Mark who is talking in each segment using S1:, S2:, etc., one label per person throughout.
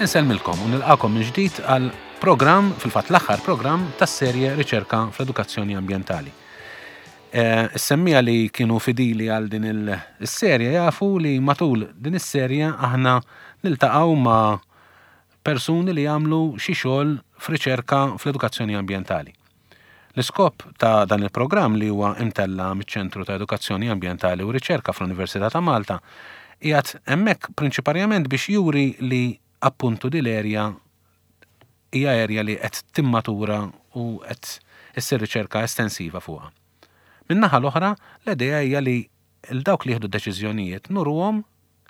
S1: Insellmilkom u nilqakom minn ġdid għal programm, fil-fatt l-aħħar programm tas-serje Riċerka fl-Edukazzjoni Ambjentali. Eh, is-semmija li kienu fidili għal din il-serje jafu li matul din is-serje aħna niltaqgħu ma' persuni li jagħmlu xi xogħol f'riċerka fl-edukazzjoni ambjentali. L-iskop ta' dan il-programm li huwa imtella' miċ-Ċentru ta' Edukazzjoni Ambjentali u Riċerka fl-Università ta' Malta qiegħed hemmhekk prinċiparjament biex juri li appuntu din l-erja hija erja li qed timmatura u qed issir riċerka estensiva fuqha. Min-naħa l-oħra, l-idea hija li 'l dawk li jieħdu d-deċiżjonijiet nuruhom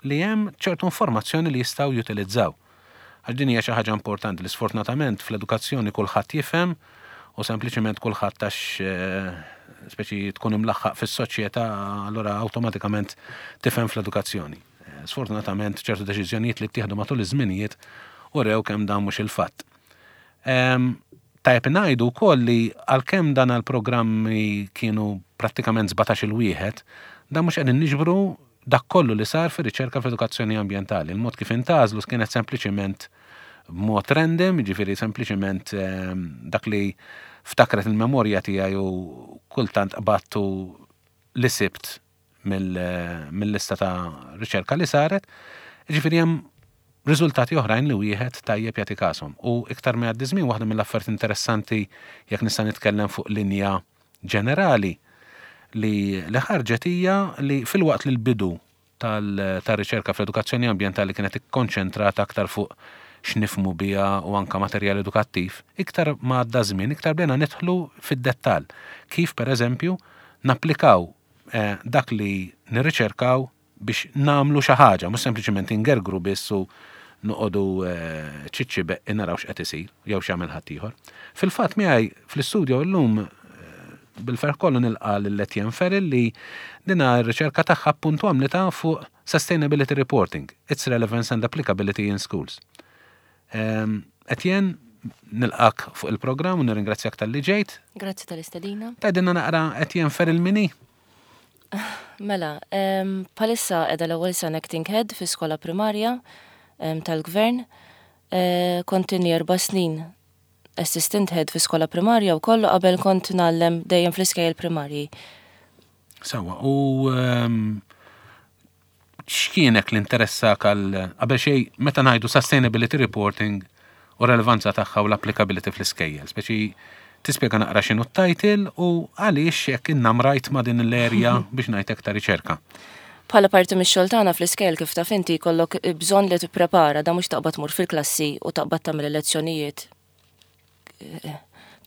S1: li hemm ċertu informazzjoni li jistgħu jutilizzaw. Għax din hija xi ħaġa importanti li sfortunatament fl-edukazzjoni kulħadd jifhem u sempliċiment kulħadd għax speċi tkun imlaħħaq fis-soċjetà allura awtomatikament tifhem fl-edukazzjoni. Sfortunatament ċertu deċiżjonijiet li ttieħdu matul iż-żminijiet urew kemm dan mhux il-fatt. Tajjeb ngħidu wkoll li għalkemm dan għall-programmi kienu prattikament 17-il wieħed, dan mhux qegħdin niġbru dak kollu li sar fir-riċerka fl-edukazzjoni ambjentali. Il-mod kif intgħażlu kienet sempliċiment b'mod random, jiġifieri sempliċiment ehm, dak li ftakret il-memorja tiegħi u kultant qbattu li sibt mill-lista ta' riċerka li saret, jiġifieri hemm riżultati oħrajn li wieħed tajjeb jagħti kashom. U iktar ma jgħaddi żmien waħda mill-affarijiet interessanti jekk nista' nitkellem fuq linja ġenerali li li ħarġet hija li filwaqt li l-bidu tar-riċerka fl-edukazzjoni ambjentali kienet ikkonċentrata aktar fuq x'nifhmu biha u anke materjal edukattiv, iktar ma għadda żmien iktar bdejna nidħlu fid-dettall kif pereżempju napplikaw dak li nirriċerkaw biex nagħmlu xi ħaġa, mhux sempliċement ingergru biss u noqogħdu ċiċċi beqqi naraw x'qed isir jew x'jagħmel ħaddieħor. Fil-fatt miegħi fl-istudio llum bil-ferħ kollu nilqa' lil Etienne Ferrell li dina r-riċerka tagħha appuntu għamlitha fuq Sustainability Reporting, Its Relevance and Applicability in Schools. Etienne, nilqak fuq il-programm u nirringrazzjak talli ġejt.
S2: Grazzi tal-istedina.
S1: Tgħidilna naqra Etienne Ferrell min hi?
S2: Mela, bħalissa qiegħda l-ewwel sena acting head fi skola primarja tal-gvern. Eh, kont inni erba' snin assistant head fi skola primarja u kollu qabel kont ngħallem dejjem fl-iskejjel primarji.
S1: Sawa, u x'kienek li interessak għal qabel xejn meta ngħidu sustainability reporting u relevanza tagħha u l-applicability fl-iskejjel, speċi tispjega naqra x'inhu t-title u għaliex hekk innamrajt ma' din l-erja biex ngħid ta' riċerka.
S2: Bħala parti mix-xogħol tagħna fl-iskejjel kif taf inti jkollok bżonn li tipprepara da mhux taqbad tmur fil-klassi u taqbad tagħmel il-lezzjonijiet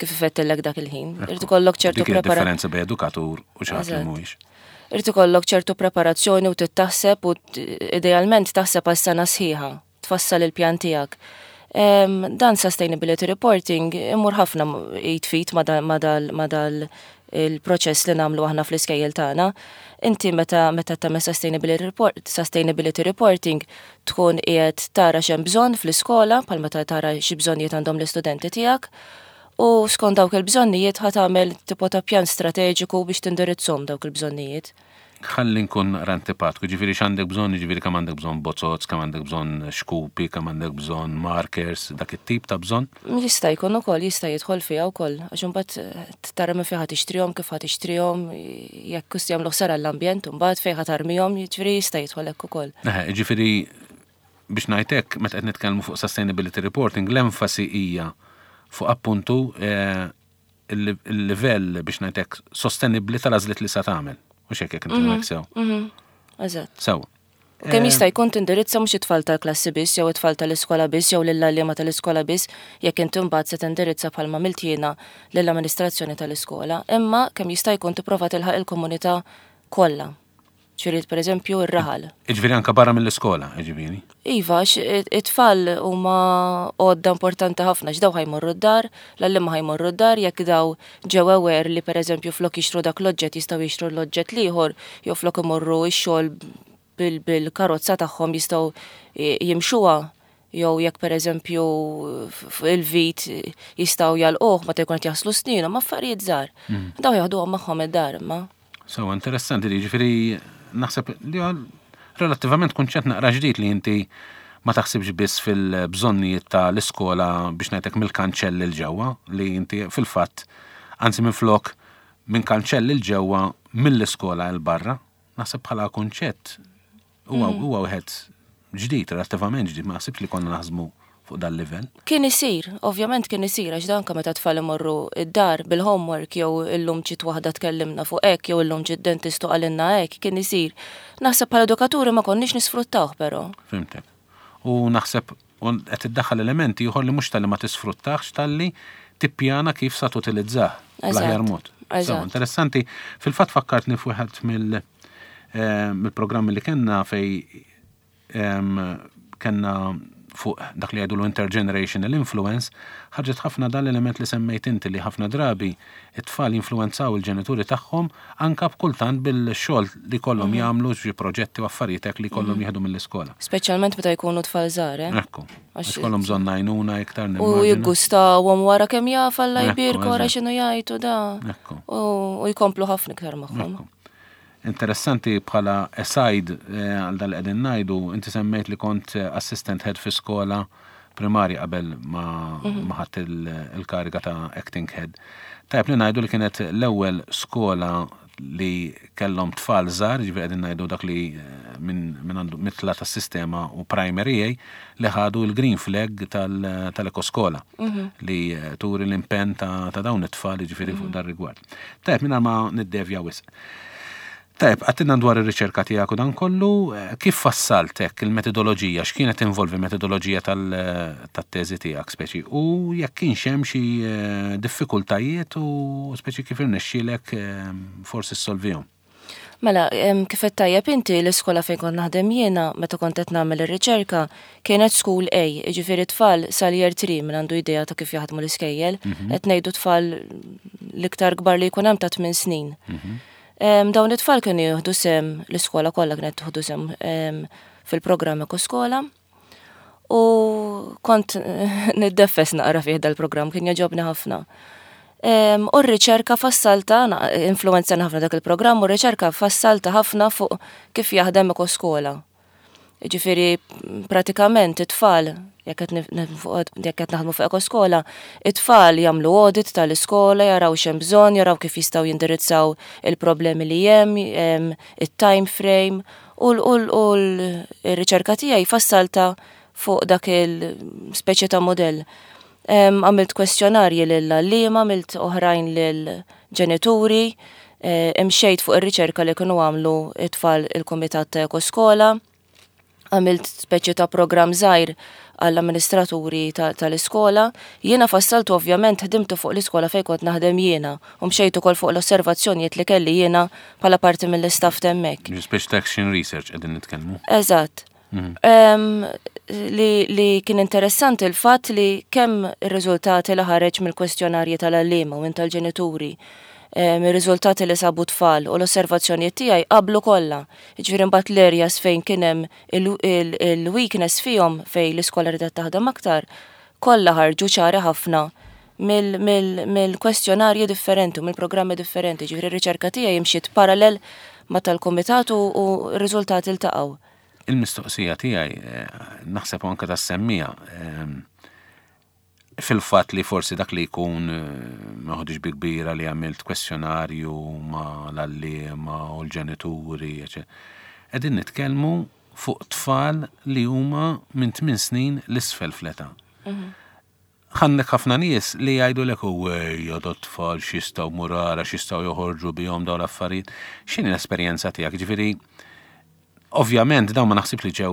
S2: kif ifettillek dak il-ħin. Irid ikollok ċertu
S1: preparazzjoni. Differenza bejn edukatur u xi ħadd li mhuwiex.
S2: Irid ikollok ċertu preparazzjoni u tittaħseb u idealment taħseb għal sena sħiħa, tfassal il-pjan tiegħek. Dan sustainability reporting imur ħafna jitfit ma dal il-proċess li nagħmlu aħna fl-iskejjel tagħna. Inti meta meta tagħmel sustainability report, sustainability reporting tkun qiegħed tara x'hemm bżonn fl-iskola bħal meta tara xi bżonnijiet għandhom l-istudenti tiegħek u skont dawk il-bżonnijiet ħa tagħmel tipo ta' pjan strateġiku biex tindirizzhom dawk il-bżonnijiet.
S1: Ħalli nkun naqra antipatku, ġifieri x'għandek bżonn, ġifieri kemm għandek bżonn bozzoz, kemm għandek bżonn xkupi, kemm għandek bżonn markers, dak it-tip ta' bżonn?
S2: Jista' jkun ukoll, jista' jidħol fiha wkoll, għax imbagħad tara minn fejn ħa tixtrihom, kif ħa tixtrihom, jekk hux jagħmlu ħsara għall-ambjent imbagħad fejn ħa tarmihom, jiġifieri jista' jidħol hekk ukoll.
S1: Eħe, jiġifieri biex ngħid hekk, meta qed nitkellmu fuq sustainability reporting, l-enfasi hija fuq appuntu eh, il-livell biex ngħid hekk sostenibbli tal-għażliet li sa tagħmel. Mhux hekk jekk nifhmek mhm, sew.
S2: Mhm. Eżatt.
S1: Sew.
S2: U kemm jista' jkun tindirizza mhux it-tfal tal-klassi biss jew it-tfal tal-iskola biss jew lill-għalliema tal-iskola biss jekk inti mbagħad se tindirizza bħalma għamilt jiena lill-amministrazzjoni tal-iskola, imma kemm jista' jkun tipprova tilħaq il-komunità kollha. Ġifieri pereżempju r-raħal.
S1: Jiġifieri anke barra mill-iskola, jiġifieri.
S2: Iva, għax it-tfal huma għodda importanti ħafna għax daw ħa jmorru d-dar, l-għalliema ħa jmorru d-dar jekk daw ġew aware li pereżempju flok jixtru dak l-oġġett jistgħu jixtru l-oġġett l-ieħor jew flok imorru x-xogħol bil-karozza tagħhom jistgħu jimxuha jew jekk pereżempju il-vit jistgħu jagħlquh meta jkun qed jaħslu snienhom, affarijiet żgħar. Mm. Daw jaħduhom magħhom id-dar imma.
S1: Sewa interessanti li ġifieri naħseb li relattivament kunċett naqra ġdid li inti ma taħsibx biss fil-bżonnijiet ta' l-iskola biex ngħidlek mill-kanċell 'il ġewwa li inti fil-fatt anzi minflok minn kanċell 'il ġewwa mill-iskola 'il barra. Naħseb bħala kunċett huwa mm. huwa wieħed ġdid, relattivament ġdid, ma naħsibx li konna naħsmu fuq dal livell.
S2: Kien isir, ovvjament kien isir, għax dan meta tfal imorru id-dar bil-homework jew illum ġiet waħda tkellimna fuq hekk jew illum ġiet dentist u qalilna hekk, kien isir. Naħseb bħala edukaturi ma konniex nisfruttawh però.
S1: Fhimtek. U naħseb qed iddaħħal elementi ieħor li mhux talli ma tisfruttahx talli tippjana kif sa tutilizzah bl-aħjar mod. Interessanti, fil-fatt fakkartni f'wieħed mill eh, mill-programmi li kellna fej kellna fuq dak li jgħidulu intergenerational influence, ħarġet ħafna dan l-element li semmejt inti li ħafna drabi it-tfal jinfluwenzaw il-ġenituri tagħhom anka b'kultant bil-xogħol li jkollhom mhm. jagħmlu xi proġetti u affarijiet hekk li jkollhom mhm. jieħdu mill-iskola.
S2: Speċjalment meta jkunu tfal żgħar, eh?
S1: Ekku. Għax kollhom bżonn għajnuna iktar
S2: U jiggustawhom wara kemm jaf Alla jbierku wara x'inhu jgħidu da. U jkomplu ħafna iktar magħhom.
S1: Interessanti bħala aside eh, għal dal qegħdin ngħidu, inti semmejt li kont eh, assistant head fi skola primarja qabel ma mhm. ħadt il-kariga ta' acting head. Tajb li ngħidu li kienet l-ewwel skola li kellhom tfal żgħar, ġifieri qegħdin ngħidu dak li eh, minn għandu mitla tas-sistema u primary A li ħadu l-green flag tal-ekoskola mhm. li turi l-impenn ta' dawn it-tfal ġifieri fuq mhm. dar rigward. Tajb, minn ma niddevja wisq. Tajb, għattinna dwar ir-riċerka tiegħek u dan kollu, eh, kif fassaltek il-metodoloġija, x'kienet involvi metodoloġija tat-teżi tiegħek speċi u jekk kienx hemm xi eh, diffikultajiet u speċi kif irnexxielek eh, forsi ssolvihom.
S2: Mela, kif qed tajjeb inti l-iskola fejn kont naħdem jiena meta kont qed nagħmel ir-riċerka kienet school A, jiġifieri tfal sal-year 3 min għandu idea ta' kif jaħdmu l-iskejjel, mhm. qed ngħidu tfal l-iktar kbar li jkun hemm ta' 8 snin. Mhm. Dawn it-tfal kienu jieħdu sem l-iskola kollha kienet tieħdu sem fil-programm Ekoskola. U kont niddeffes naqra fih dal-programm, kien jogħġobni ħafna. U r-riċerka fassalta, influenzani ħafna dak il-programm, u r-riċerka fassalta ħafna fuq kif jaħdem ekoskola. Ġifieri, pratikament it-tfal, jekk qed naħdmu fuq ekoskola, it-tfal jagħmlu audit tal-iskola, jaraw x'hemm bżonn, jaraw kif jistgħu jindirizzaw il-problemi li hemm, it-time frame, U l-riċerka tiegħi fassalta fuq dak il-speċi ta' modell. Għamilt kwestjonarji lill-għalliema, għamilt oħrajn lill-ġenituri, eh, imxejt fuq ir-riċerka li kienu għamlu it-tfal il-Kumitat ta' Ekoskola, għamilt speċi ta' programm żgħir għall-amministraturi tal-iskola. Jiena fassaltu ovvjament ħdimtu fuq l-iskola fejn kont naħdem jiena u mxejt ukoll fuq l-osservazzjonijiet li kelli jiena bħala parti mill-istaff t'hemmhekk.
S1: Speċi ta' action research qegħdin nitkellmu.
S2: Eżatt. Mhm. Li, li kien interessanti il-fatt li kemm ir-riżultati li ħareġ mill-kwestjonarji tal-għalliema u minn tal-ġenituri, ir-riżultati li sabu tfal u l-osservazzjonijiet tiegħi qablu kollha. Jiġifieri mbagħad l-areas fejn kien hemm il-weakness fihom fejn l-iskola ridet taħdem aktar, kollha ħarġu ċari ħafna mill-kwestjonarji differenti u mill-programmi differenti. Ġifieri r-riċerka tiegħi imxiet parallel ma' tal-kumitat u r-riżultati ltaqgħu.
S1: Il-mistoqsija tiegħi eh, naħseb anke tas-semmija eh, fil-fatt li forsi dak li jkun eh, ma ħodix bi kbira li għamilt kwestjonarju ma l-għalliema u l-ġenituri, qegħdin nitkellmu fuq tfal li huma minn 8 snin l-isfel fl-età. Mhm. Għandek ħafna nies li jgħidulek u ejja dat-tfal x'jistgħu mur ara x'jistgħu joħorġu bihom dawn l-affarijiet. X'inhi l-esperjenza tiegħek? Ġifieri ovvjament dawn ma naħsibx li ġew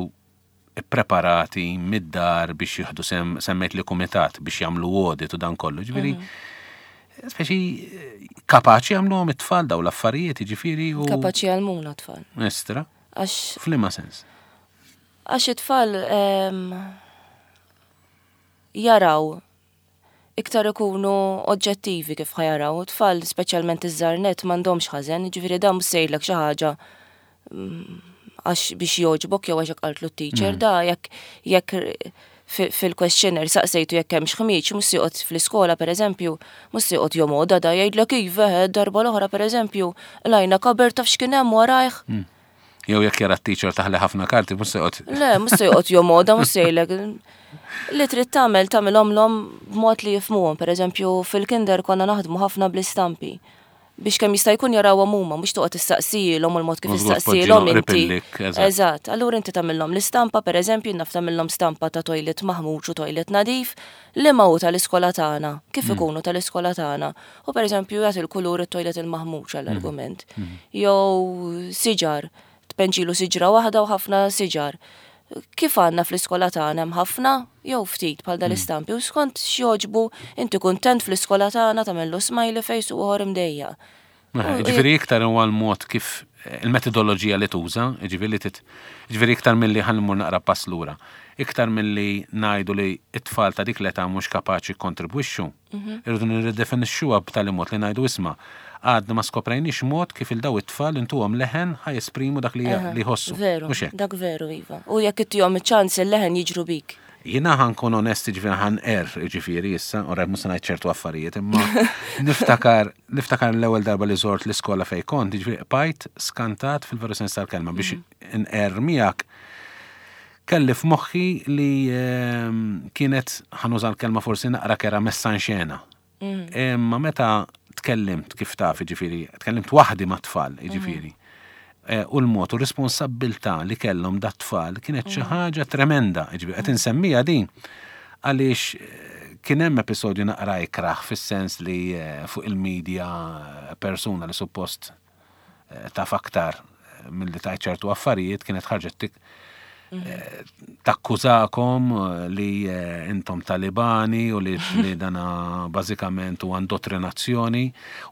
S1: ippreparati mid-dar biex jieħdu sem semmejt li kumitat biex jagħmlu audit u dan kollu. Ġifieri mhm. speċi kapaċi jagħmluhom it-tfal dawn l-affarijiet, ġifieri
S2: u. Kapaċi jgħallmuna t-tfal.
S1: Estra. Għax. F'liema sens?
S2: Għax it-tfal ehm, jaraw iktar ikunu oġġettivi kif ħa jaraw. Tfal, speċjalment iż-żgħar nett, m'għandhomx ħażen, jiġifieri dan mhux se jgħidlek xi ħaġa mm, għax biex jogħġbok jew għax hekk qaltlu t-teacher, mm. da jekk jekk fil-questionnaire saqsejtu jekk hemmx ħmieġ, mhux se joqgħod fl-iskola pereżempju, mhux se joqgħod jomoda da jgħidlek iva, eh, darba l-oħra pereżempju, lajna kaber taf x'kien hemm warajh. Mm.
S1: Jew jekk jara t-teacher taħli ħafna karti, mhux se joqgħod.
S2: Le, mhux se joqgħod jomoda, mhux se jgħidlek. Li trid tagħmel tagħmilhomlhom b'mod li jifhmuhom. Pereżempju, fil-kinder konna naħdmu ħafna bl-istampi. Biex kemm jista' jkun jarawhom huma, mhux toqgħod tistaqsilhom u l-mod kif issaqsilhom inti. Eżatt, allura inti tagħmilhom l-istampa, pereżempju, naf tagħmilhom stampa ta' toilet maħmuġ u toilet nadif, liema hu tal-iskola tagħna, kif mm. ikunu tal-iskola tagħna. U pereżempju jagħti l-kulur it-toilet il-maħmuġ għall-argument. Mm. Mm. Jew siġar, tpenġilu siġra waħda u ħafna siġar. Kif għandna fl-iskola tagħna hemm ħafna jew ftit bħal dal-istampi u skont x'jogħġbu inti kuntent fl-iskola tagħna tagħmillu smiley face u ieħor imdejjaq.
S1: Ġifieri iktar huwa l-mod kif il-metodoloġija li tuża, ġifieri li tit, ġifieri iktar milli ħa mmur naqra pass lura, iktar milli ngħidu li t-tfal ta' dik l-età mhux kapaċi jikkontribwixxu, irridu nirridefinixxuha b'tali mod li ngħidu isma' għadna ma skoprejniex mod kif il daw it-tfal intuhom leħen ħa jesprimu dak li jħossu.
S2: Veru, dak veru, iva. U jekk ittihom iċ-ċans il-leħen jiġru bik.
S1: Jiena ħa nkun onest jiġifieri ħa nqerr jiġifieri issa, u rajt mhux se ngħid ċertu affarijiet, imma niftakar niftakar l-ewwel darba li żort l-iskola fejn kont, jiġifieri qbajt skantat fil-veru sens tal-kelma biex mhm. nqerr miegħek. Kelli f'moħħi li ehm, kienet ħanuża l-kelma forsi naqra kera messa xena. Mhm. Imma meta tkellimt kif taf, jiġifieri, tkellimt waħdi mat-tfal, jiġifieri. Eh, u l-mod u responsabbiltà li kellhom dat-tfal kienet xi mm. ħaġa tremenda, jiġifieri qed insemmija din għaliex eh, kien hemm episodju naqra ikraħ fis-sens li eh, fuq il-medja persuna li suppost taf aktar milli tgħid ċertu affarijiet kienet ħarġet tik eh, takkużakom eh, li eh, intom talibani u li, li dana bażikament u indottrinazzjoni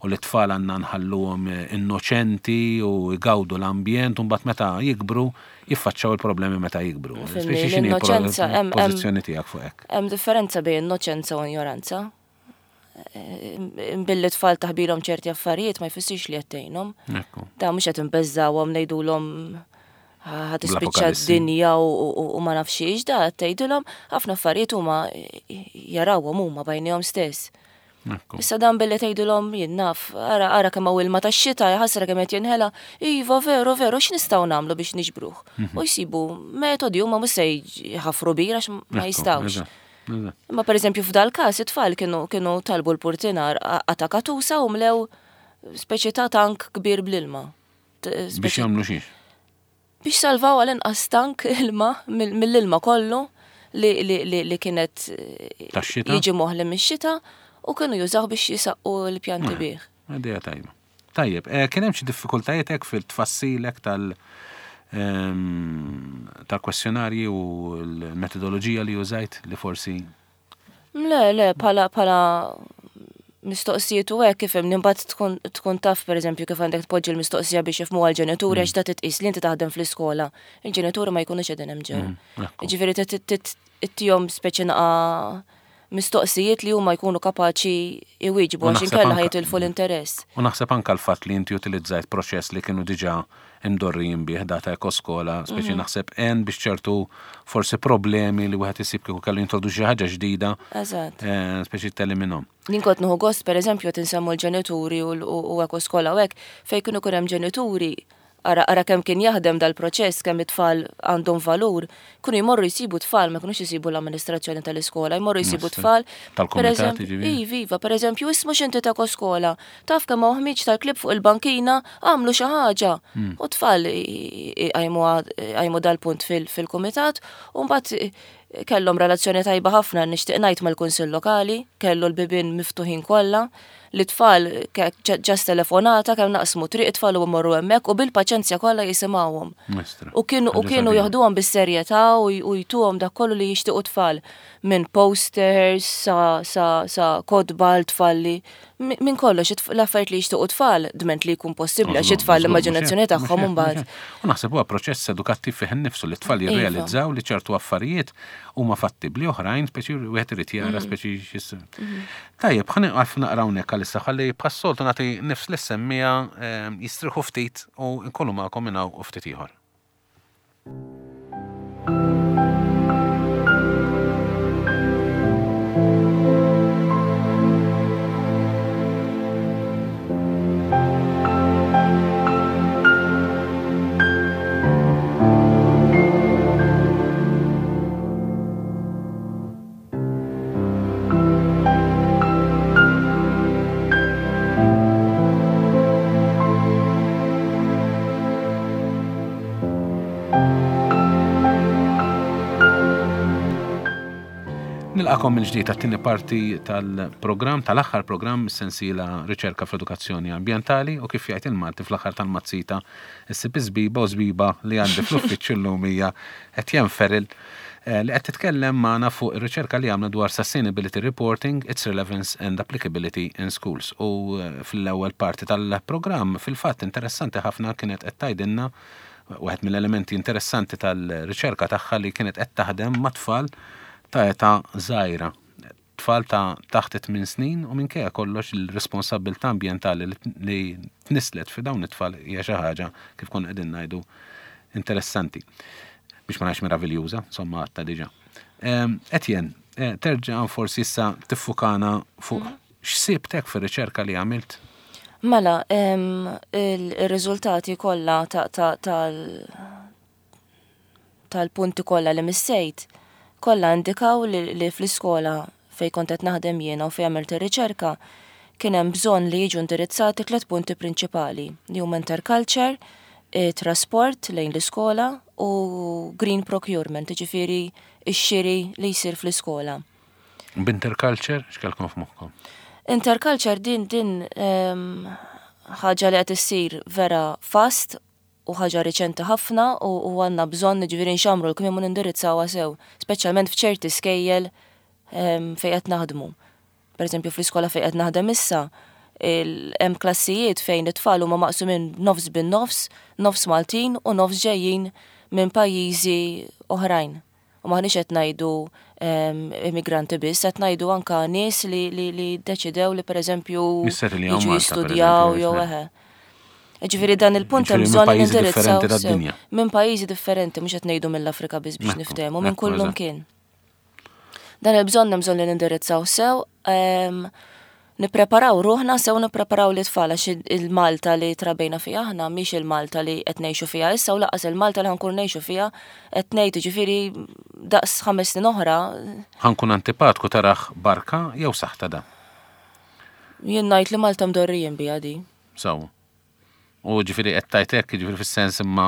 S1: u li tfal għandna nħalluhom innoċenti u jgawdu l-ambjent u mbagħad meta jikbru jiffaċċaw il-problemi meta jikbru.
S2: Speċi x'inhi l-innoċenza
S1: pożizzjoni tiegħek fuq hekk.
S2: Hemm differenza bejn innoċenza u ignoranza. Billi tfal taħbilhom ċerti affarijiet ma jfissirx li qed tgħinhom. Da mhux qed inbeżżawhom ngħidulhom ħa tispiċċa d-dinja u ma nafx xiex, da qed tgħidilhom ħafna affarijiet huma jarawhom huma bajnihom stess. Issa dan billi tgħidilhom jien naf, ara ara kemm hawn ilma tax-xita, ħasra kemm qed jinħela, iva veru veru x'nistgħu nagħmlu biex niġbruh. Mhm. U jsibu metodi huma mhux se jħaffru bir għax ma jistgħux. Imma pereżempju f'dal każ it-tfal kienu kienu talbu l-purtinar qata' katusa u mlew speċi ta' tank kbir bl-ilma.
S1: Biex jagħmlu xiex?
S2: Biex salvaw għal inqas tank ilma mill-ilma kollu li, li, li, li kienet jiġi moħli mix-xita u kienu jużaw biex jisaqqu l-pjanti eh, bih.
S1: Idea tajba. Tajjeb, eh, kien hemm xi diffikultajiet hekk fil-tfassilek tal- ehm, tal-kwestjonarji u l-metodoloġija li użajt li forsi
S2: Le, le, pala, pala mistoqsijiet u hekk kif hemm imbagħad tkun tkun taf pereżempju kif għandek tpoġġi l-mistoqsija biex jifhmu għall-ġenituri għax ta' titqis li inti taħdem fl-iskola. Il-ġenituri ma jkunux qegħdin hemm ġew. Mm, Ġifieri ittihom speċi naqa' mistoqsijiet li huma jkunu kapaċi jwieġbu għax inkella ħa jitilfu l-interess.
S1: U naħseb anke l-fatt li inti utilizzajt proċess li kienu diġà imdorrijin bih data ekoskola, speċi mhm. naħseb għen biex ċertu forsi problemi li wieħed isib kieku kellu jintroduċi xi ħaġa ġdida.
S2: Eżatt.
S1: Eh, speċi teliminhom.
S2: Jien kont nieħu gost pereżempju qed insemmu l-ġenituri u ekoskola u hekk fejn kienu jkun hemm ġenituri Ara, ara kemm kien jaħdem dal-proċess, kemm it-tfal għandhom valur, kienu jmorru jsibu tfal, ma kinux isibu l-amministrazzjoni tal-iskola, jmorru jsibu tfal.
S1: Tal-kumitat, jiġifieri?
S2: Iva, iva, per eżempju, ismu x'inti ta' koskola, taf kemm hawn ħmieġ tal-klieb fuq il-bankina, għamlu xi ħaġa. Hmm. U tfal għajmu dal-punt fil-kumitat, u mbagħad kellhom relazzjoni tajba ħafna nixtieq ngħid mal-Kunsill Lokali, kellu l-bibien miftuħin kollha. Li tfal ġast telefonata kemm naqsmu triq it-tfal u mmorru hemmhekk u bil-paċenzja kollha jisimgħuhom. U kienu u kienu joħduhom bis-serjetà u jtuhom dak kollu li jixtiequ tfal minn posters sa sa sa kotba l-tfal li minn kollox l-affarijiet li jixtiequ tfal dment li jkun possibbli għax it-tfal l-immaġinazzjoni tagħhom imbagħad.
S1: U naħseb huwa proċess edukattiv fih innifsu li t-tfal iva. jirrealizzaw li ċertu affarijiet huma fattibbli oħrajn speċi wieħed irid jara mm. speċi mm. Tajjeb, ħa nieqaf naqra hawnhekk għalissa ħalli bħas-soltu nagħti nifs lis-semmiegħa ehm, jistrieħu ftit u nkunu magħkom minn hawn u ftit ieħor. Nilqakom mill-ġdid għat-tieni parti tal-programm, tal-aħħar programm mis-sensiela Riċerka fl-Edukazzjoni Ambjentali u kif jgħid il-Malti fl-aħħar tal-mazzita issib iż-żbiba u żbiba li għandi fl-uffiċċju llum hija Etienne Ferrell eh, li qed titkellem magħna fuq ir-riċerka li għamla dwar Sustainability Reporting, Its Relevance and Applicability in Schools. U eh, fl-ewwel parti tal-programm fil-fatt interessanti ħafna kienet qed tgħidilna Wieħed mill-elementi interessanti tal-riċerka tagħha li kienet qed taħdem ma' tfal ta' età żgħira, tfal ta' taħt it-tmien snin u minkejja kollox il-responsabbiltà ambjentali li tnisslet fi dawn it-tfal hija xi ħaġa kif konna qegħdin ngħidu interessanti. Biex ma ngħidx meraviljuża, insomma għadtha diġà. Etienne, eh, terġa' forsi issa tiffukana fuq mhm. X'sibt hekk fir-riċerka li għamilt?
S2: Mela, ir-riżultati kollha tal-punti kollha li missejt, kollha indikaw li fl-iskola fejn kont qed naħdem jiena u fejn għamilt ir-riċerka, kien hemm bżonn li jiġu indirizzati tliet punti prinċipali, li huma interculture, trasport lejn l-iskola u green procurement, jiġifieri x-xiri li jsir fl-iskola.
S1: B'interculture, x'kelkom f'moħħkom?
S2: Interculture din din ehm, ħaġa li qed issir vera fast u ħaġa riċenti ħafna u, u għandna bżonn ġifieri nxamru l-kmiem u nindirizzawha sew, speċjalment f'ċerti skejjel ehm, fejn qed naħdmu. Per eżempju fl-iskola fejn qed naħdem issa, hemm klassijiet fejn it-tfal huma maqsumin nofs bin-nofs, nofs Maltin u nofs ġejjin minn pajjiżi oħrajn. U m'aħniex qed ngħidu immigranti biss, qed ngħidu anka nies li li ddeċidew li pereżempju jiġu jistudjaw jew eħe. Ġifieri dan il-punt hemm bżonn li nindirizzaw minn pajjiżi differenti, mhux qed ngħidu mill-Afrika biss biex niftehmu, minn kullum kien. Dan il-bżonn hemm bżonn li nindirizzaw sew, ehm, nippreparaw ruħna sew nippreparaw l-itfal għax il-Malta li trabejna fiha aħna mhix il-Malta li qed ngħixu fiha issa u laqas il-Malta li ħankun ngħixu fiha qed ngħid ġifieri daqs ħames snin oħra.
S1: Ħankun antipatku taraħ barka jew saħta da?
S2: Jien ngħid li Malta mdorrijin biha di.
S1: Sew. U ġifieri qed tgħid hekk, jiġifieri fis-sens imma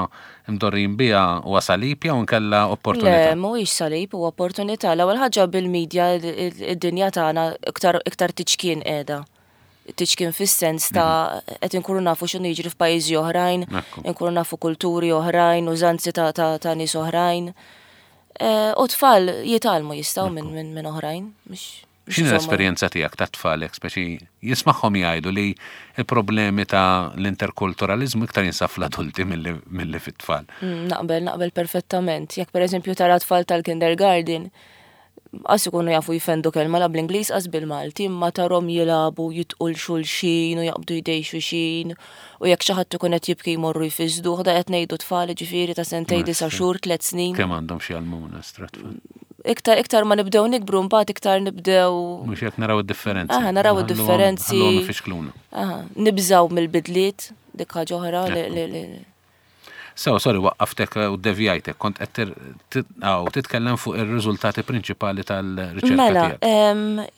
S1: mdorrijin biha huwa salib jew inkella opportunità?
S2: Le, mhuwiex salib, huwa opportunità. L-ewwel ħaġa bil-media id-dinja tagħna iktar iktar tiċkien qiegħda. Tiċkien fis-sens ta' mhm. qed inkunu nafu x'inhu jiġri f'pajjiżi oħrajn, inkunu nafu kulturi oħrajn, użanzi ta' ta' ta' nies oħrajn. Eh, u tfal jitgħallmu jistgħu minn minn oħrajn, mhux
S1: X'inhi l-esperjenza tiegħek tat-tfal hekk speċi jismagħhom jgħidu li l-problemi ta' l-interkulturaliżmu iktar jinsab fl-adulti milli fit-tfal?
S2: Mm, naqbel, naqbel perfettament. Jekk pereżempju tara tfal tal-kindergarten, qas ikunu jafu jfendu kelma la bl-Ingliż qas bil-Malti, imma tarhom jilagħbu jitqu l xulxin u jaqbdu jdej xulxin u jekk xi ħadd ikun qed jibki jmorru jfisduh da qed ngħidu tfal ġifieri ta' sentej disa' xhur, tliet snin.
S1: Kemm għandhom xi jgħallmuna stra tfal?
S2: Iktar iktar ma nibdew nikbru mbagħad iktar nibdew.
S1: Mhux hekk naraw id-differenzi.
S2: Aha, naraw id-differenzi.
S1: Ħalluhom ifixkluna.
S2: Aha, nibżgħu mill-bidliet, dik ħaġa oħra li
S1: So, sorry, waqqaftek u devjajtek, kont qed titkellem fuq ir-riżultati prinċipali tal-riċerka.
S2: Mela,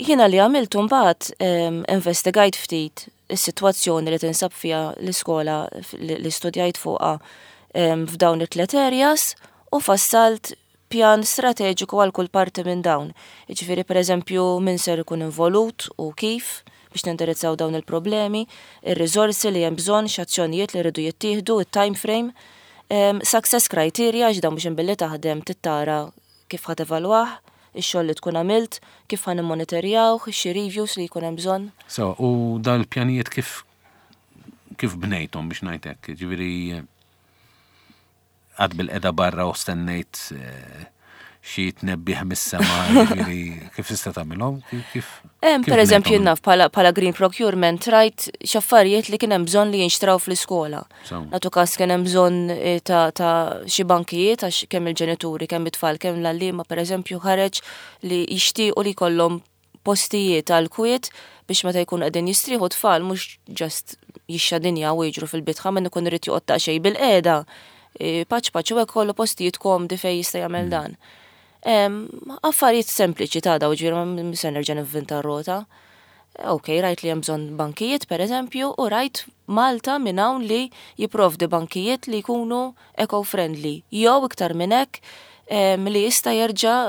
S2: jiena li għamiltu mbagħad investigajt ftit is-sitwazzjoni li tinsab fiha l-iskola li studjajt fuqha f'dawn it-tliet areas u fassalt pjan strateġiku għal kull parti minn dawn. Jiġifieri pereżempju min ser ikun involut u kif biex nindirizzaw dawn il-problemi, ir-riżorsi li hemm bżonn, x'azzjonijiet li rridu jittieħdu, it-time frame, success criteria għax dawn biex imbilli taħdem trid tara kif ħa tevalwah, ix-xogħol li tkun għamilt, kif ħa nimmonitorjawh, xi reviews li jkun hemm bżonn.
S1: So, u dawn il-pjanijiet kif kif bnejthom biex ngħid hekk, jiġifieri Qgħadt bilqiegħda barra u stennejt xi tnebbiħ mis-sema, jiġifieri kif tista' tagħmilhom? Kif?
S2: Per eżempju, naf bħala green procurement rajt x'affarijiet li kien hemm bżonn li jinxtraw fl-iskola. Nagħtu każ kien hemm bżonn eh, ta' xi bankijiet għax kemm il-ġenituri, kemm it-tfal, kemm l-għalliema pereżempju ħareġ li jixtiequ li jkollhom postijiet għall-kwiet biex meta jkunu qegħdin jistrieħu t-tfal mhux just jixxadinjaw u jiġru fil-bitħa min ikun irid joqgħod daqsxejn bilqiegħda paċ paċ u hekk kollu postijiet komdi fejn jista' jagħmel mm. dan. Affarijiet sempliċi ta' daw ġifieri ma se nerġa' nivvinta r-rota. Ok, rajt li hemm bżonn bankijiet pereżempju u rajt Malta minn hawn li jipprovdi bankijiet li jkunu eco-friendly jew iktar minn hekk. li jista' jerġa'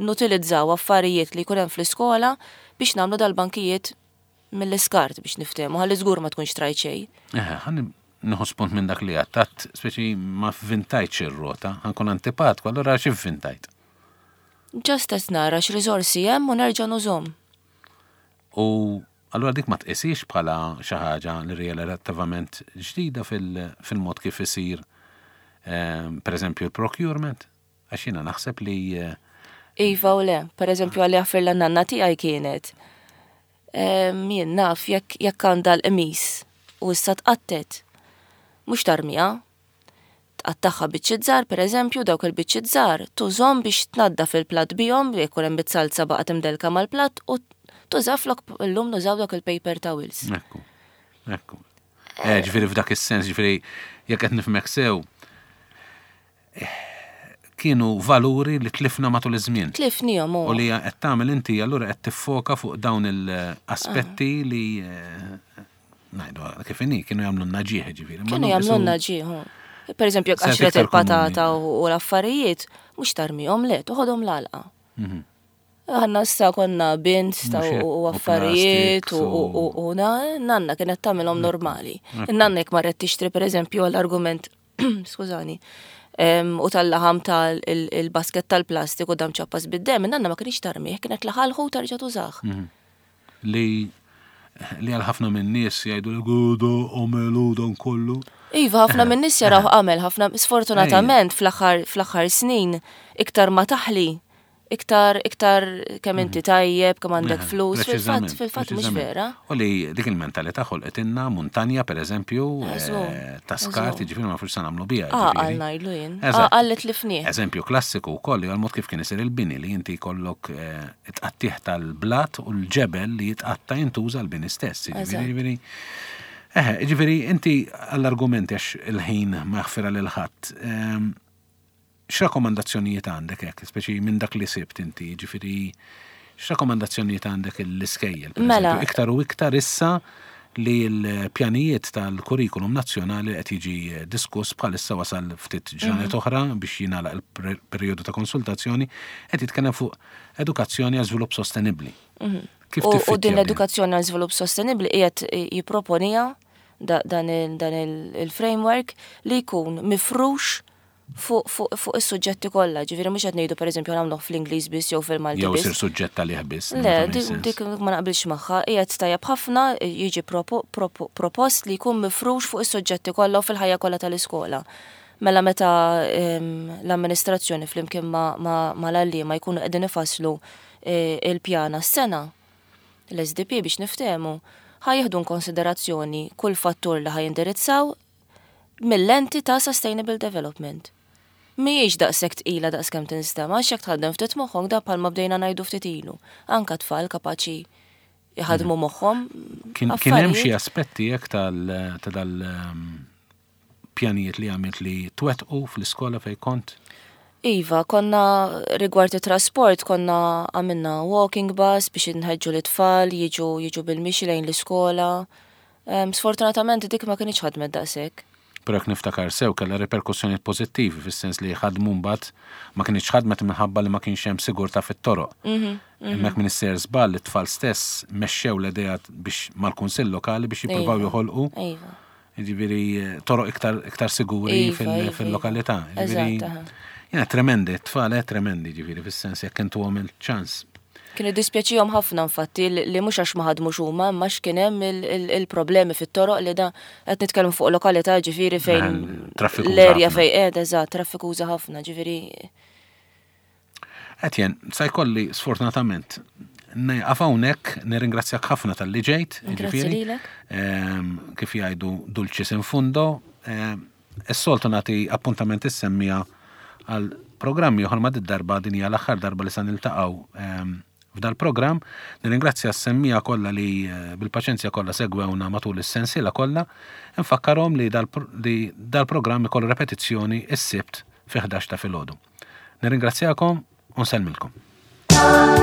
S2: nutilizzaw affarijiet li jkun hemm fl-iskola biex nagħmlu dal-bankijiet mill-iskart biex niftehmu ħalli żgur ma tkunx trajt xejn.
S1: Eħe, ħa nieħu spunt minn dak li għedt, għedt speċi ma vvintajtx ir-rota, ħa nkun antipatku, allura x'ivvintajt?
S2: Just qed nara x'riżorsi hemm u nerġa' nużhom.
S1: U allura dik ma tqisiex bħala xi ħaġa li hija relattivament ġdida fil-mod kif isir per eżempju l-procurement? Għax jiena naħseb li
S2: Iva u le, per eżempju għalli għaffir l-nanna tiegħi kienet. Jien naf jekk jekk għandha l-qmis u issa tqattet. Mhux tarmiha. Tqattagħha biċċiet żgħar, per eżempju, dawk il-biċċiet żgħar tużhom biex tnaddaf il-platt bihom, jekk ikun hemm bit-salza baqgħet imdelka mal-platt u tuża flok illum nużaw dawk il-paper towels.
S1: Ekku, ekku. Eh, ġifieri f'dak is-sens, ġifieri jekk qed nifhmek sew, kienu valuri li tlifna matul iż-żmien.
S2: Tlifnihom
S1: u. U li qed tagħmel inti allura qed tiffoka fuq dawn il-aspetti li eh, ngħidu kif inhi kienu jagħmlu naġieħ ġifieri.
S2: Kienu jagħmlu naġieħ. Per eżempju, jekk qaxret il-patata u l-affarijiet, mhux tarmihom le, toħodhom l-għalqa. Mhm. Aħna issa konna bins ta' u affarijiet u nanna kienet tagħmilhom normali. Nanna jekk marret tixtri pereżempju għall-argument, skużani, u tal-laħam tal-basket tal-plastik u dam ċappas bid-dem, nanna ma kienx tarmih, kienet laħalħu tarġa' tużah. Mhm.
S1: Li li għal ħafna minn nies jgħidu li gudu għamelu dan kollu.
S2: Iva, ħafna minn nies jaraw għamel, ħafna sfortunatament fl-aħħar snin iktar ma taħli iktar iktar kemm inti mhm. tajjeb, kemm għandek flus, fil-fatt fil-fatt mhux vera.
S1: U li dik il-mentalità ħolqet muntanja pereżempju eh, ta' skart, jiġifieri ma nafux se nagħmlu biha.
S2: Ah, għal ngħidlu jien. Ah, għal li tlifnieh.
S1: Eżempju klassiku wkoll li għal-mod kif kien isir il-bini li inti jkollok eh, it-tqattigħ tal-blat u l-ġebel li jitqatta' jintuża l-bini stess. Jiġifieri, eħe, jiġifieri inti għall-argumenti għax il-ħin ma jaħfirha lil ħadd. Ehm, x'rakkomandazzjonijiet għandek hekk, speċi minn dak li sibt inti, jiġifieri x'rakkomandazzjonijiet għandek l-iskejjel?
S2: Mela.
S1: Iktar u iktar issa li l-pjanijiet tal-kurrikulum nazzjonali qed jiġi diskuss bħalissa wasal ftit ġranet mhm. oħra biex jingħalaq il-perjodu ta' konsultazzjoni qed jitkellem fuq edukazzjoni għal żvilupp sostenibbli.
S2: Mhm. Kif u din l-edukazzjoni għal żvilupp sostenibbli qiegħed jipproponija dan il-framework li jkun mifrux fuq is-suġġetti kollha, ġifieri mhux qed ngħidu pereżempju nagħmluh fl-Ingliż biss jew fil-Malti
S1: biss. Jew isir suġġett għalih biss.
S2: Le, dik ma naqbilx magħha, qiegħed tajjeb ħafna jiġi propost li jkun mifrux fuq is-suġġetti kollha u fil-ħajja kollha tal-iskola. Mela meta l-amministrazzjoni flimkien mal-għalliema jkunu qegħdin ifasslu e, il-pjan għas-sena, l-SDP biex niftehmu, ħa jieħdu konsiderazzjoni kull fattur li ħa jindirizzaw mil-lenti ta' sustainable development. Mhijiex daqshekk tqila daqskemm tinstema' għax jekk tħaddem ftit moħħok da bħalma bdejna ngħidu ftit ilu. Anka tfal kapaċi jħadmu mhm. moħħhom.
S1: Kien hemm xi aspetti hekk ta' dal ehm, pjanijiet li għamilt li twettqu fl-iskola fejn kont?
S2: Iva, konna rigward it-trasport konna għamilna walking bus biex inħeġġu l-tfal jiġu jiġu bil-mixi lejn l-iskola. Sfortunatament dik ma kinitx ħadmet daqshekk.
S1: Però jekk niftakar sew kellha riperkussjonijiet pożittivi fis-sens li ħadmu mbagħad ma kinitx ħadmet minħabba li ma kienx hemm sigurtà fit-toroq. Mhm, mhm. Hemmhekk minn issejjer żball it-tfal stess mexxew l-idea biex mal-kunsill lokali biex jippruvaw iva, joħolqu. Iva. Jiġifieri toroq iktar iktar siguri iva, fil-lokalità. Jiġifieri jiena tremendi, t-tfal eh, tremendi ġifieri fis-sens jekk intuhom il-ċans.
S2: Kien iddispjaċihom ħafna infatti li mhux għax ma ħadmux huma imma għax kien hemm il-problemi fit-toroq li da qed nitkellmu fuq lokalità ġifieri fejn l-erja fejn qiegħda eżatt traffikuża ħafna ġifieri.
S1: Etienne, sa jkolli sfortunatament nieqaf hawnhekk, nirringrazzjak ħafna talli ġejt,
S2: ġifieri.
S1: Ehm, kif jgħidu dulcis in fundo, ehm, Is-soltu nagħti appuntament is-semmiegħa għal programm ieħor ma' did-darba din hija l-aħħar darba li sa niltaqgħu ehm, f'dal-programm. Nirringrazzja s-semmiegħa kollha li eh, bil-paċenzja kollha segwewna matul is-sensiela kollha. Nfakkarhom li dal-programm ikollu repetizzjoni s-Sibt fi 11 ta' filgħodu. Nirringrazzjakom u nsellmilkom.